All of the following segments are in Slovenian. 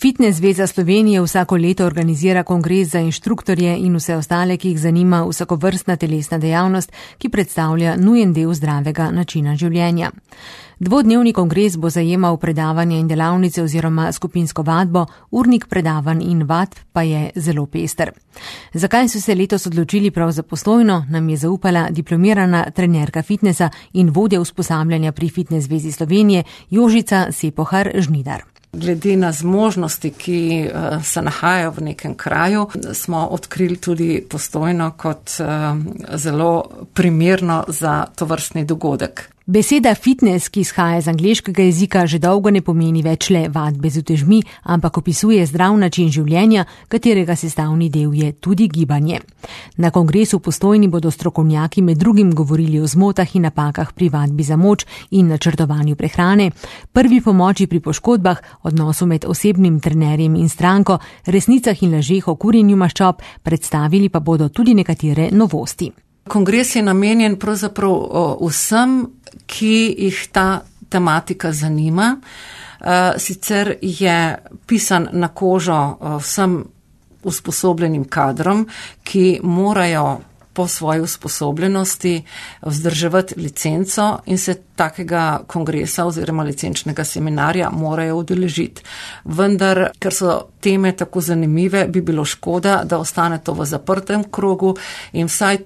Fitnes zveza Slovenije vsako leto organizira kongres za inštruktorje in vse ostale, ki jih zanima vsakovrstna telesna dejavnost, ki predstavlja nujen del zdravega načina življenja. Dvodnevni kongres bo zajemal predavanje in delavnice oziroma skupinsko vadbo, urnik predavanj in vadb pa je zelo pester. Zakaj so se letos odločili prav za Postojno, nam je zaupala diplomirana trenerka fitnesa in vodja usposabljanja pri Fitnes zvezi Slovenije Jožica Sepohar Žnidar. Glede na zmožnosti, ki se nahajajo v nekem kraju, smo odkrili tudi Postojno kot zelo primerno za tovrstni dogodek. Beseda fitness, ki izhaja iz angleškega jezika, že dolgo ne pomeni več le vadbe z utežmi, ampak opisuje zdrav način življenja, katerega sestavni del je tudi gibanje. Na kongresu v Postojni bodo strokovnjaki med drugim govorili o zmotah in napakah pri vadbi za moč in načrtovanju prehrane, prvi pomoči pri poškodbah, odnosu med osebnim trenerjem in stranko, resnicah in lažeh o kurjenju maščob, predstavili pa bodo tudi nekatere novosti. Kongres je namenjen pravzaprav vsem, ki jih ta tematika zanima. Sicer je pisan na kožo vsem usposobljenim kadrom, ki morajo po svoji usposobljenosti vzdrževati licenco in se takega kongresa oziroma licenčnega seminarja morajo udeležiti. Vendar, ker so teme tako zanimive, bi bilo škoda, da ostane to v zaprtem krogu in vsaj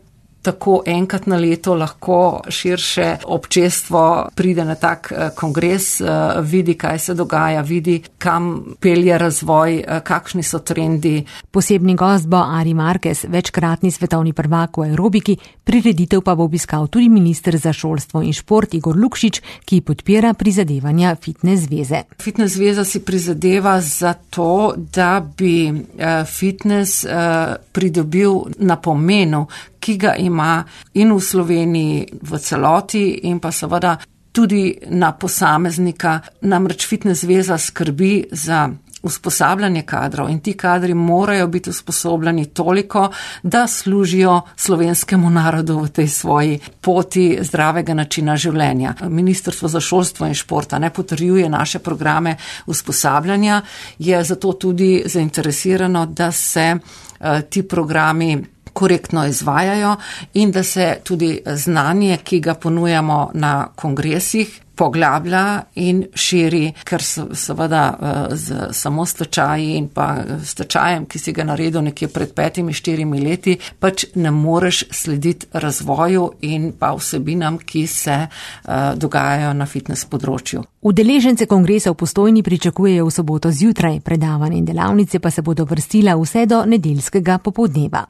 tako enkrat na leto lahko širše občestvo pride na tak kongres, vidi, kaj se dogaja, vidi, kam pelje razvoj, kakšni so trendi. Posebni gost bo Ari Marquez, večkratni svetovni prvak v aerobiki, prireditev pa bo obiskal tudi minister za šolstvo in šport Igor Lukšič, ki podpira prizadevanja Fitnes zveze. Fitnes zveza si prizadeva za to, da bi fitnes pridobil na pomenu, ki ga ima in v Sloveniji v celoti in pa seveda tudi na posameznika. Namreč Fitnes zveza skrbi za usposabljanje kadrov in ti kadri morajo biti usposobljeni toliko, da služijo slovenskemu narodu v tej svoji poti zdravega načina življenja. Ministrstvo za šolstvo in športa ne potrjuje naše programe usposabljanja, je zato tudi zainteresirano, da se ti programi korektno izvajajo in da se tudi znanje, ki ga ponujamo na kongresih, poglablja in širi, ker seveda z samo stečaji in pa stečajem, ki si ga naredil nekje pred 5-4 leti, pač ne moreš slediti razvoju in pa vsebinam, ki se dogajajo na fitness področju. Udeležence kongresa v Postojni pričakujejo v soboto zjutraj, predavanja in delavnice pa se bodo vrstila vse do nedeljskega popoldneva.